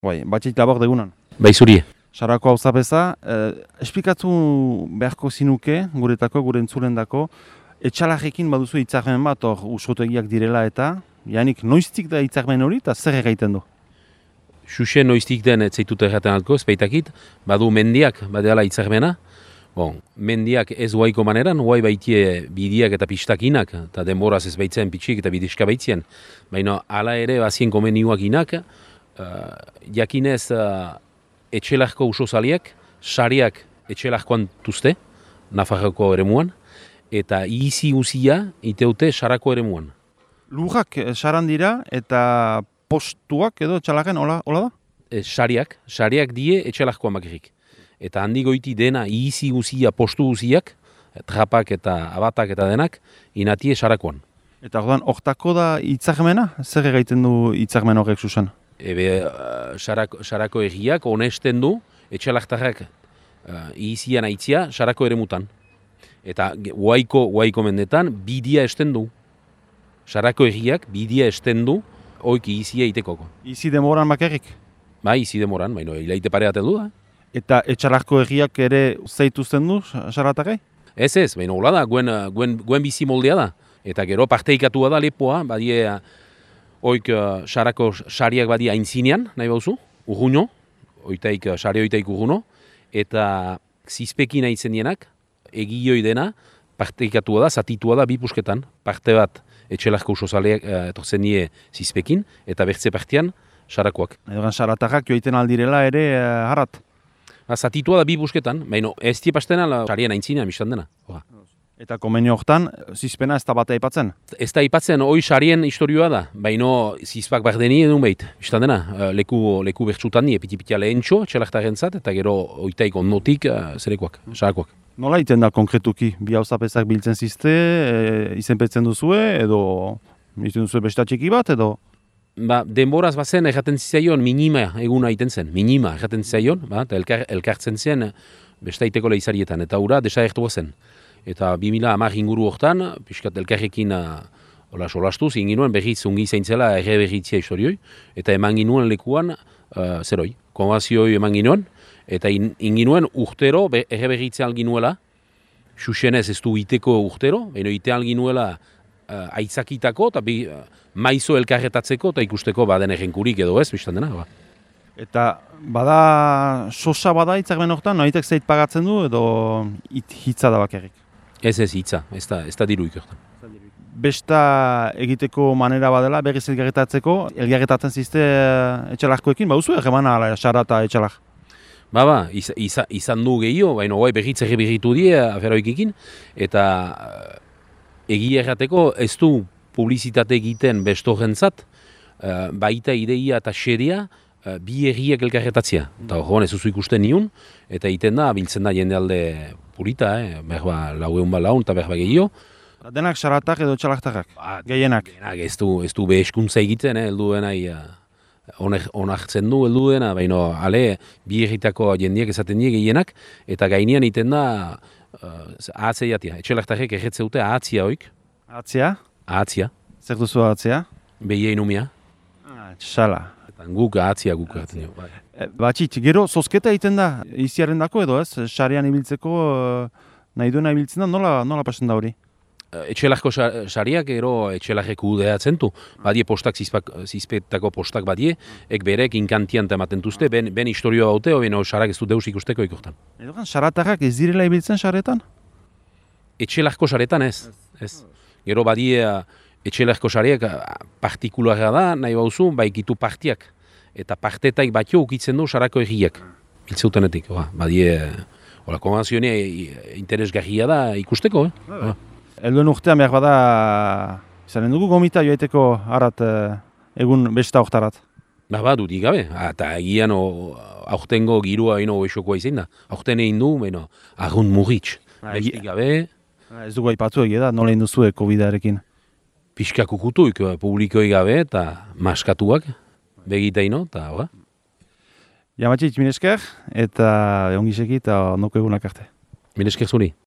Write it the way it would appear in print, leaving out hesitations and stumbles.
Bai, batxeit labor degunan. Bai zuri. Sarako hau zapeza, esplikatu beharko zinuke, guretako, gure entzulendako, etxalajekin baduzu hitzarmen bat, hor usotegiak direla eta, janik noiztik da hitzarmen hori eta zer egiten du? Xuxe noiztik den etzaitut erraten altko, espeitakit, badu mendiak, badeala hitzarmena. Bon, mendiak ez huaiko maneran, huai baitie bidiak eta pistakinak, eta denboraz ez baitzen pitxik eta bidiska baitzien. Baina hala ere bazien komeniuak inak, jakinez etxelarko usozaliak, sariak etxelarkoan tuzte, Nafarroko eremuan, eta izi uzia iteute sarako eremuan. Lurrak saran dira eta postuak edo etxalaken, hola da? Sariak die etxelarkoan bakarrik. Eta handi goiti dena izi uzia, postu uziak, trapak eta abatak eta denak, inatie sarakoan. Eta orduan, hortako da hitzarmena? Zer egiten du hitzarmen horrek zuzen? Sarako egiak honesten du etxelartarrak izian aitzia sarako eremutan. Eta huaiko mendetan bidia esten du. Sarako egiak bidia esten du oiki izia itekoko. Izi demoran bakarrik? Bai, izi demoran, baina hilaite pareaten du da. Eta etxalarko egiak ere zeituzten du saratarrai? Ez, baina hola da, guen bizi moldea da. Eta gero parteikatua da lepoa, badie oik sarako sariak badia aintzinean, nahi bauzu, urruño, sari oitaik urruño, eta zizpekin aitzen dienak, egioi dena, parteikatua da, zatitua da, bi pusketan, parte bat etxelarko usozaleak etortzen die zizpekin, eta bertze partean sarakoak. Edogan saratarrak joiten aldirela ere harrat? Zatitua da bi busketan, baina ez die pastena sarien aintzinean biztan dena. Eta komenio hortan, zizpena ez da bat aipatzen? Ez da aipatzen, hoi sarien historioa da, baina zizpak bardeni edun behit, biztan dena, leku bertsutan die, piti-pitia lehentxo, txelartaren zat, eta gero oitaik ondotik zerekoak, sarakoak. Nola iten da konkretuki? Bi hauzapezak biltzen zizte, izenpetzen duzue, edo izten duzue besta txiki bat, edo? Denboraz bazen erraten zizaion minima eguna egiten zen, minima erraten zizaion, eta elkartzen zen bestaiteko lehizarietan, eta hura desagertua zen. Eta 2010 inguru hortan, pixkat elkarrekin solastuz, inginuen berriz ungi zaintzela erre berritzia historioi, eta eman ginuen lekuan zeroi, konbazioi eman ginuen, eta inginuen urtero erre berritzea alginuela, xuxenez ez du iteko urtero, baina ite alginuela aitzakitako, eta maizo elkarretatzeko, eta ikusteko baden errenkurik edo ez, biztan dena. Eta bada, sosa bada hitzarmen hortan, noitek zeit pagatzen du, edo hitza da bakarrik? Ez hitza, ez da diruik hortan. Besta egiteko manera badela, berriz elgarretatzen zizte etxalarkoekin, bauzu erremana ala, sara eta etxalar? Izan du gehiago, baina guai berriz berritu die aferoikekin, eta egia errateko ez du publizitate egiten bestorentzat, baita ideia eta xeria bi egiak elkarretatzea. Eta horren ez duzu ikusten niun, eta egiten da, biltzen da jende alde purita, berba laueun bat laun eta berba gehiago. Denak saratak edo txalartarrak, gehienak? Ez du beheskuntza egiten, heldu dena onartzen du heldu dena, baina ale bi egitako jendiak esaten die gehienak, eta gainean egiten da ahatzea jatia. Etxelartarrek erretze dute ahatzia hoik. Ahatzia? Ahatzia. Zer duzu ahatzia? Behien umia. Txala. Guk ahatzia guk erraten jo. Batxit, gero zozketa egiten da iziaren dako edo ez? Sarean ibiltzeko nahi duena ibiltzen da, nola pasen da hori? Etxelarko sariak gero etxelarrek udeatzen du. Badie postak, zizpetako postak badie, ek berek inkantian ematen duzte, ben historioa baute, ben sarak ez du deus ikusteko ikortan. Edogan, saratarrak ez direla ibiltzen saretan? Etxelarko saretan ez. Gero badie etxelarko sariak partikularra da, nahi bauzu, baikitu partiak. Eta partetaik batio ukitzen du sarako egiak. Biltzeutenetik, badie, konbazioa interesgarria da ikusteko. Elduen urtean behar bada, izanen dugu gomita joaiteko harat egun besta hortarat? Dudik gabe, eta egian aurtengo girua ino esokoa izan da. Aurten egin du, argun murritz. Bestik gabe. Ez dugu aipatzu egia da, nola egin duzu COVID-arekin? Piskak ukutuik, publikoi gabe eta maskatuak begitaino, eta hori. Jamatxik, minesker, eta ongiseki eta ondoko egunak arte. Minesker zuri.